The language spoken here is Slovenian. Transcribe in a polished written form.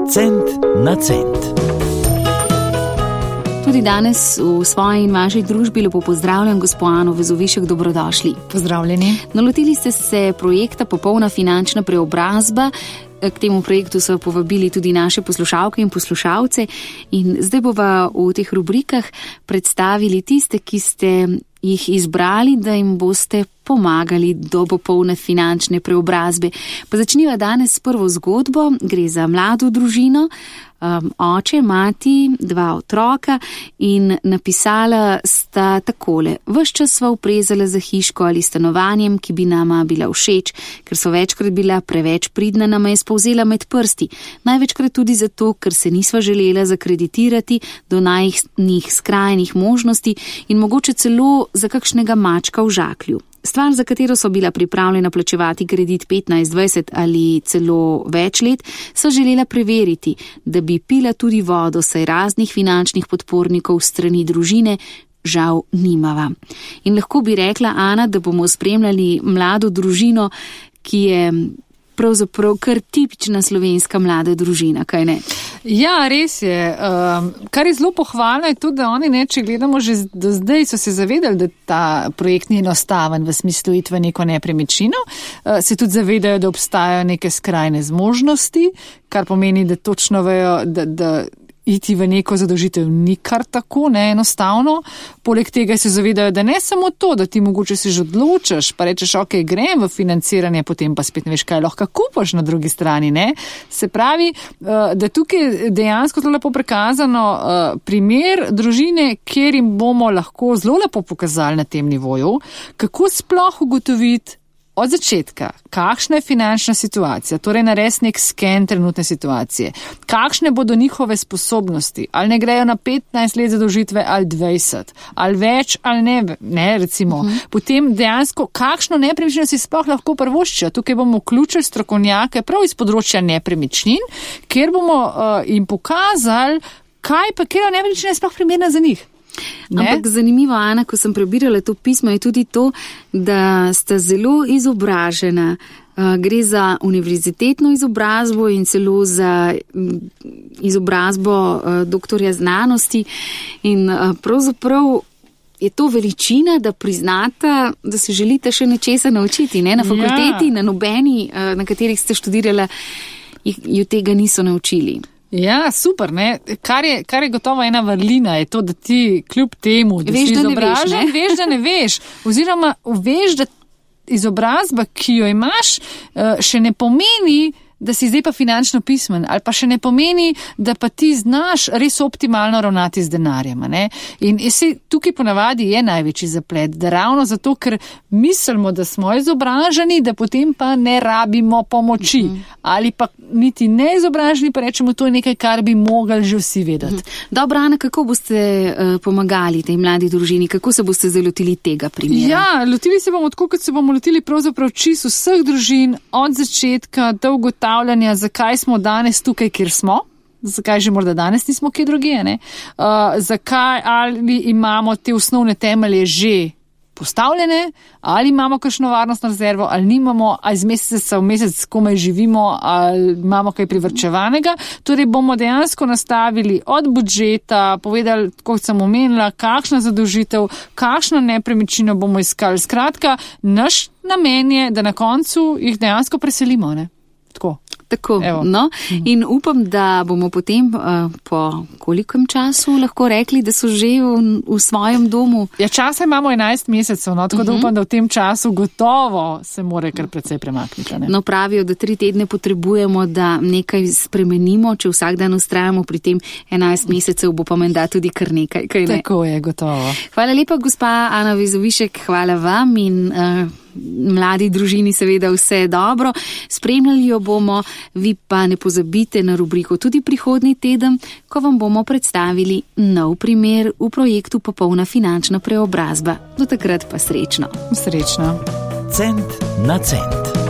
Cent na cent. Tudi danes v svoji in vaši družbi lepo pozdravljam gospo Ano Vezovišek, dobrodošli. Pozdravljeni. Nalotili ste se projekta Popolna finančna preobrazba. K temu projektu so povabili tudi naše poslušalke in poslušalce in zdaj bova v teh rubrikah predstavili tiste, ki ste jih izbrali, da jim boste pomagali do popolne finančne preobrazbe. Pa začniva danes s prvo zgodbo. Gre za mlado družino, oče, mati, 2 otroka in napisala sta takole: ves čas sva uprezala za hiško ali stanovanjem, ki bi nama bila všeč, ker so večkrat bila preveč pridna, nama je spolzela med prsti. Največkrat tudi zato, ker se nisva želela zakreditirati do najnih skrajnih možnosti in mogoče celo za kakšnega mačka v žaklju. Stvar, za katero so bila pripravljena plačevati kredit 15, 20 ali celo več let, so želela preveriti, da bi pila tudi vodo, saj raznih finančnih podpornikov strani družine žal nimava. In lahko bi rekla, Ana, da bomo spremljali mlado družino, ki je pravzaprav kar tipična slovenska mlada družina, kaj ne? Ja, res je. Kar je zelo pohvalno je tudi, da oni, če gledamo že do zdaj, so se zavedali, da ta projekt ni enostaven v smislu iti v neko nepremičnino. Se tudi zavedajo, da obstajajo neke skrajne zmožnosti, kar pomeni, da točno vejo, da iti v neko zadolžitev ni kar tako neenostavno. Poleg tega se zavedajo, da ne samo to, da ti mogoče se že odločiš, pa rečeš, ok, grem v financiranje, potem pa spet ne veš, kaj lahko kupaš na drugi strani, ne? Se pravi, da tukaj dejansko zelo lepo prikazano primer družine, kjer jim bomo lahko zelo lepo pokazali na tem nivoju, kako sploh ugotoviti od začetka, kakšna je finančna situacija, torej narediti nek sken trenutne situacije, kakšne bodo njihove sposobnosti, ali ne grejo na 15 let zadolžitve ali 20, ali več ali ne recimo. Potem dejansko, kakšno nepremičnino si sploh lahko privoščijo. Tukaj bomo vključili strokovnjake prav iz področja nepremičnin, kjer bomo jim pokazali, kaj pa kera nepremičnina je sploh primerna za njih. Ne? Ampak zanimivo, Ana, ko sem prebirala to pismo, je tudi to, da sta zelo izobražena. Gre za univerzitetno izobrazbo in celo za izobrazbo doktorja znanosti in pravzaprav je to veličina, da priznata, da se želite še nečesa naučiti, ne? Na fakulteti, na nobeni, na katerih ste študirala, ju tega niso naučili. Ja, super, ne. Kar je gotovo ena vrlina, je to, da ti kljub temu, da veš, si izobražen, veš, da ne veš, oziroma veš, da izobrazba, ki jo imaš, še ne pomeni, da si zdaj pa finančno pismen, ali pa še ne pomeni, da pa ti znaš res optimalno ravnati z denarjem. Ne? In tukaj ponavadi je največji zaplet, da ravno zato, ker mislimo, da smo izobraženi, da potem pa ne rabimo pomoči. Ali pa niti ne izobraženi, pa rečemo, to je nekaj, kar bi mogli že vsi vedeti. Dobro, Ana, kako boste pomagali tej mladi družini? Kako se boste zalotili tega primera? Ja, lotili se bomo tako, kot se bomo lotili pravzaprav čisto vseh družin od začetka do ugotavljanja, zakaj smo danes tukaj, kjer smo. Zakaj že morda danes nismo kje drugje, ne? Zakaj ali imamo te osnovne temelje že postavljene, ali imamo kakšno varnostno rezervo, ali nimamo, ali iz meseca v mesec komaj živimo, ali imamo kaj privrčevanega. Torej bomo dejansko nastavili od budžeta, povedali, kot sem omenila, kakšna zadolžitev, kakšno nepremičnino bomo iskali. Skratka, naš namen je, da na koncu jih dejansko preselimo, ne? Tako, no. In upam, da bomo potem po kolikem času lahko rekli, da so že v svojem domu. Ja, časa imamo 11 mesecev, no, tako da upam, da v tem času gotovo se more kar precej premakniti. Ne? No, pravijo, da 3 tedne potrebujemo, da nekaj spremenimo, če vsak dan ustrajamo pri tem 11 mesecev, bo pa menda tudi kar nekaj. Kaj ne? Tako je, gotovo. Hvala lepa, gospa Ana Vezovišek, hvala vam in mladi družini seveda vse dobro. Spremljali jo bomo, vi pa ne pozabite na rubriko tudi prihodnji teden, ko vam bomo predstavili nov primer v projektu Popolna finančna preobrazba. Do takrat pa srečno. Srečno. Cent na cent.